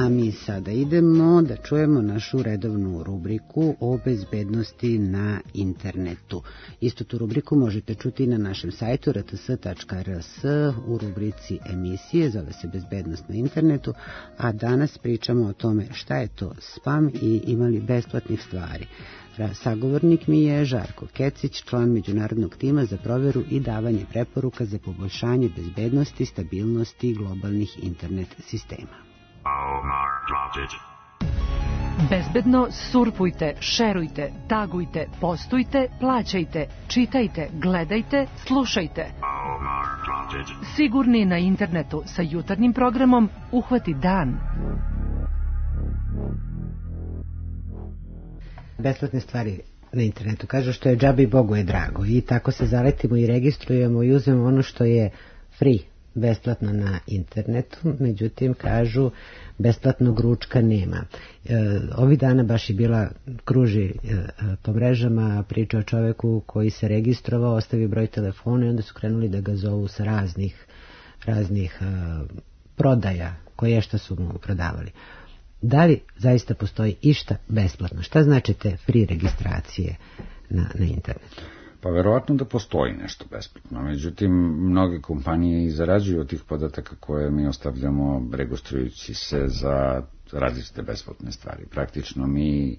A mi sada idemo da čujemo našu redovnu rubriku o bezbednosti na internetu. Isto tu rubriku možete čuti na našem sajtu rts.rs u rubrici emisije, zove se Bezbednost na internetu, a danas pričamo o tome šta je to spam i imali besplatnih stvari. Sagovornik mi je Žarko Kecić, član međunarodnog tima za proveru i davanje preporuka za poboljšanje bezbednosti, stabilnosti globalnih internet sistema. Bezbedno surfujte, šerujte, tagujte, postujte, plaćajte, čitajte, gledajte, slušajte. Sigurni na internetu sa jutarnjim programom Uhvati dan. Besplatne stvari na internetu. Kažu što je džabe i Bogu je drago. I tako se zaletimo i registrujemo i uzmemo ono što je free, besplatno na internetu. Međutim, kažu, besplatnog ručka nema. Ovih dana baš je bila kruži po mrežama priča o čoveku koji se registrovao, ostavio broj telefona i onda su krenuli da ga zovu sa raznih prodaja koje šta su mu prodavali. Da li zaista postoji išta besplatno? Šta znači te free registracije na internetu? Pa verovatno da postoji nešto besplatno. Međutim, mnoge kompanije i zarađuju od tih podataka koje mi ostavljamo registrujući se za različite besplatne stvari. Praktično mi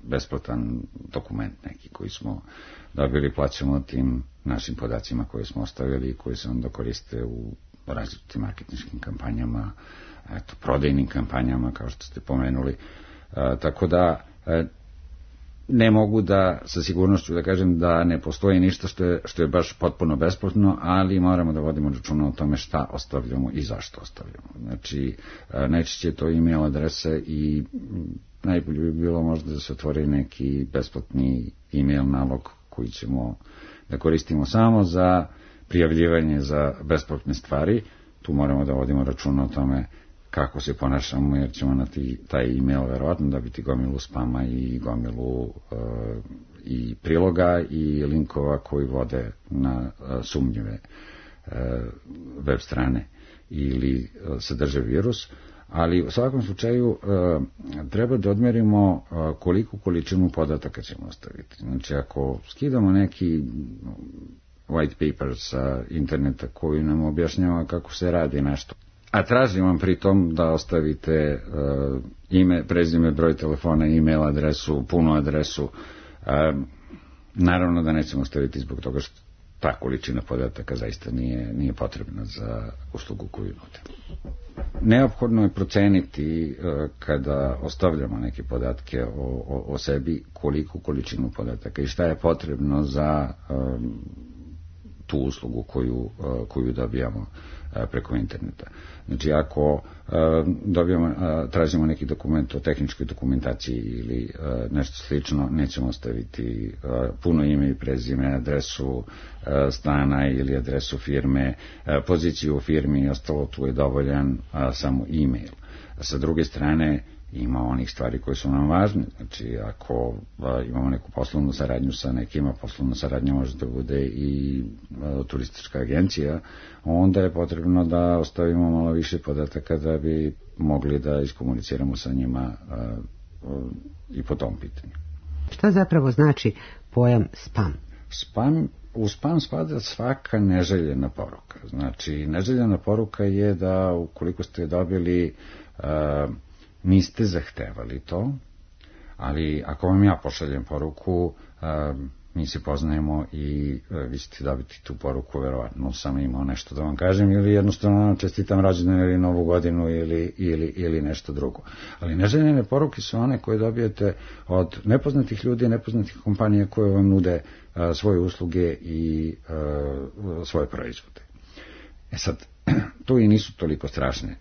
besplatan dokument neki koji smo dobili plaćamo tim našim podacima koje smo ostavili i koji se onda koriste u različitim marketinškim kampanjama, prodajnim kampanjama, kao što ste pomenuli. Tako da ne mogu da sa sigurnošću da kažem da ne postoji ništa što je baš potpuno besplatno, ali moramo da vodimo računa o tome šta ostavljamo i zašto ostavljamo. Znači, najčešće je to e-mail adrese i najbolje bi bilo možda da se otvori neki besplatni e-mail nalog koji ćemo da koristimo samo za prijavljivanje za besplatne stvari. Tu moramo da vodimo računa o tome kako se ponašamo, jer ćemo na taj e-mail verovatno dobiti gomilu spama i gomilu i priloga i linkova koji vode na sumnjive web strane ili sadrže virus. Ali u svakom slučaju treba da odmerimo koliku količinu podataka ćemo ostaviti. Znači, ako skidamo neki white paper sa interneta koji nam objašnjava kako se radi nešto, a tražim vam pri tom da ostavite ime, prezime, broj telefona, e-mail adresu, punu adresu, naravno da nećemo ostaviti zbog toga što ta količina podataka zaista nije potrebna za uslugu koju nude. Neophodno je proceniti kada ostavljamo neke podatke o sebi koliku količinu podataka i šta je potrebno za tu uslugu koju dobijamo preko interneta. Znači, ako tražimo neki dokument o tehničkoj dokumentaciji ili nešto slično, nećemo ostaviti puno ime i prezime, adresu stana ili adresu firme, poziciju u firmi i ostalo, tu je dovoljan samo e-mail. Sa druge strane, ima onih stvari koje su nam važne. Znači, ako imamo neku poslovnu saradnju sa nekima, poslovna saradnja može da bude i turistička agencija, onda je potrebno da ostavimo malo više podataka da bi mogli da iskomuniciramo sa njima i po tom pitanju. Šta zapravo znači pojam spam? U spam spada svaka neželjena poruka. Znači, neželjena poruka je da ukoliko ste dobili niste zahtevali to, ali ako vam ja pošaljem poruku, mi se poznajemo i vi ćete dobiti tu poruku, verovatno sam imao nešto da vam kažem ili jednostavno čestitam rođendan ili novu godinu ili nešto drugo. Ali neželjene poruke su one koje dobijete od nepoznatih ljudi, nepoznatih kompanija koje vam nude svoje usluge i svoje proizvode. Sad, to i nisu toliko strašne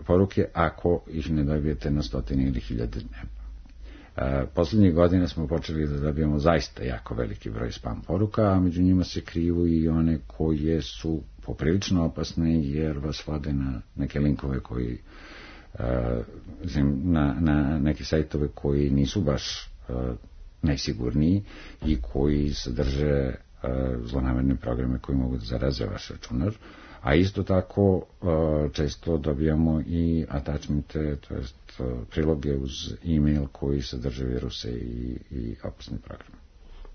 poruke ako ih ne dobijete na stotine ili hiljade dnevno. Poslednjih godina smo počeli da dobijemo zaista jako veliki broj spam poruka, a među njima se kriju i one koje su poprilično opasne jer vas vode na neke linkove koji na neke sajtove koji nisu baš najsigurniji i koji sadrže zlonamerne programe koji mogu da zaraze vaš računar, A isto tako često dobijamo i attachmente, to jest priloge uz e-mail koji sadrže viruse i opasne programe.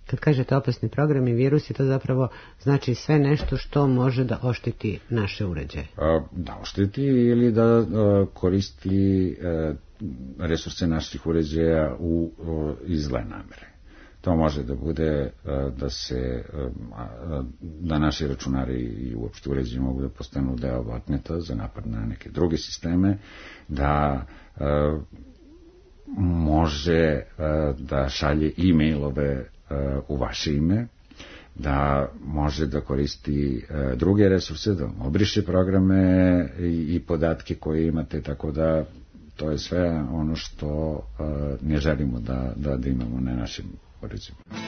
Kad kažete opasni program i virusi, to zapravo znači sve nešto što može da ošteti naše uređaje. Da ošteti ili da koristi resurse naših uređaja iz zle namere. To može da bude da naši računari i uopšte uređaji mogu da postanu deo botneta za napad na neke druge sisteme, da može da šalje e-mailove u vaše ime, da može da koristi druge resurse, da obriše programe i podatke koje imate, tako da to je sve ono što ne želimo da imamo na našim uređajima.